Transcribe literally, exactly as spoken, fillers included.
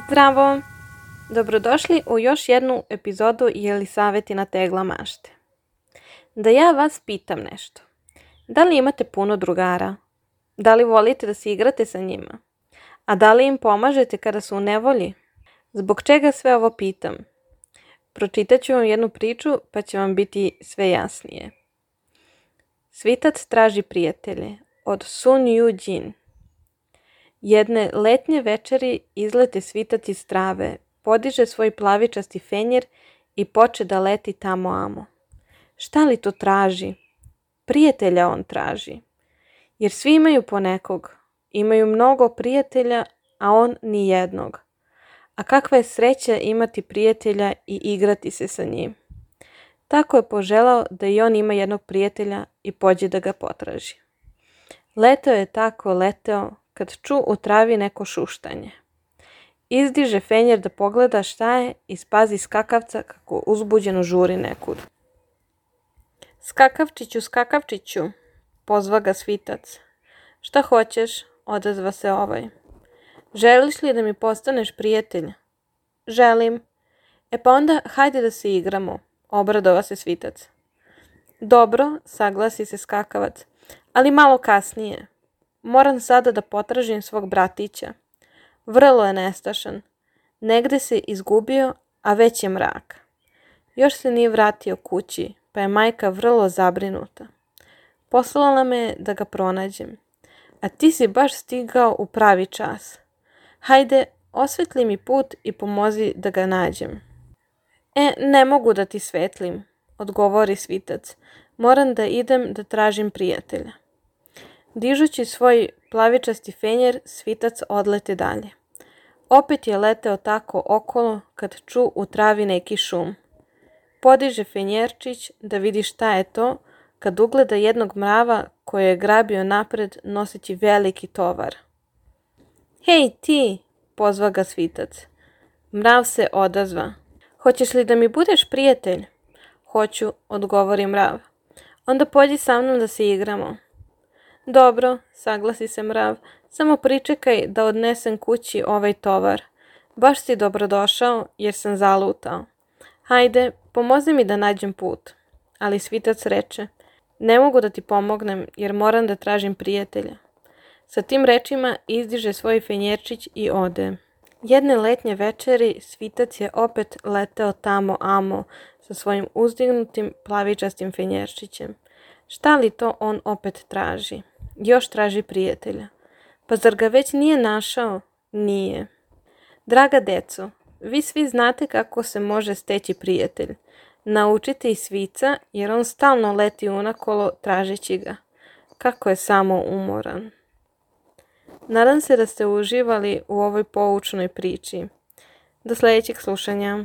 Zdravo! Dobrodošli u još jednu epizodu Jelisavetina tegla mašte. Da ja vas pitam nešto. Da li imate puno drugara? Da li volite da se igrate sa njima? A da li im pomažete kada su u nevolji? Zbog čega sve ovo pitam? Pročitat ću vam jednu priču pa će vam biti sve jasnije. Svitac traži prijatelje od Sun Yu Jin. Jedne letnje večeri izlete svitac iz trave, podiže svoj plavičasti fenjer i poče da leti tamo amo. Šta li to traži? Prijatelja on traži. Jer svi imaju ponekog. Imaju mnogo prijatelja, a on ni jednog. A kakva je sreća imati prijatelja i igrati se sa njim. Tako je poželao da i on ima jednog prijatelja i pođe da ga potraži. Leteo je tako leteo kad ču u travi neko šuštanje. Izdiže fenjer da pogleda šta je i spazi skakavca kako uzbuđeno žuri nekud. Skakavčiću, skakavčiću, pozva ga svitac. Šta hoćeš, odazva se ovaj. Želiš li da mi postaneš prijatelj? Želim. E pa onda hajde da se igramo, obradova se svitac. Dobro, saglasi se skakavac, ali malo kasnije. Moram sada da potražim svog bratića. Vrlo je nestašan. Negde se izgubio, a već je mrak. Još se nije vratio kući, pa je majka vrlo zabrinuta. Poslala me da ga pronađem. A ti si baš stigao u pravi čas. Hajde, osvetli mi put i pomozi da ga nađem. E, ne mogu da ti svetlim, odgovori svitac. Moram da idem da tražim prijatelja. Dižući svoj plavičasti fenjer, svitac odlete dalje. Opet je leteo tako okolo kad ču u travi neki šum. Podiže fenjerčić da vidi šta je to, kad ugleda jednog mrava koji je grabio napred noseći veliki tovar. Hej ti, pozva ga svitac. Mrav se odazva. Hoćeš li da mi budeš prijatelj? Hoću, odgovori mrav. Onda pođi sa mnom da se igramo. Dobro, saglasi se mrav, samo pričekaj da odnesem kući ovaj tovar. Baš si dobrodošao jer sam zalutao. Hajde, pomozi mi da nađem put. Ali svitac reče, ne mogu da ti pomognem jer moram da tražim prijatelja. Sa tim rečima izdiže svoj fenjerčić i ode. Jedne letnje večeri svitac je opet leteo tamo amo sa svojim uzdignutim plavičastim fenjerčićem. Šta li to on opet traži? Još traži prijatelja. Pa zar ga već nije našao? Nije. Draga deco, vi svi znate kako se može steći prijatelj. Naučite i svica jer on stalno leti unakolo tražeći ga. Kako je samo umoran. Nadam se da ste uživali u ovoj poučnoj priči. Do sljedećeg slušanja.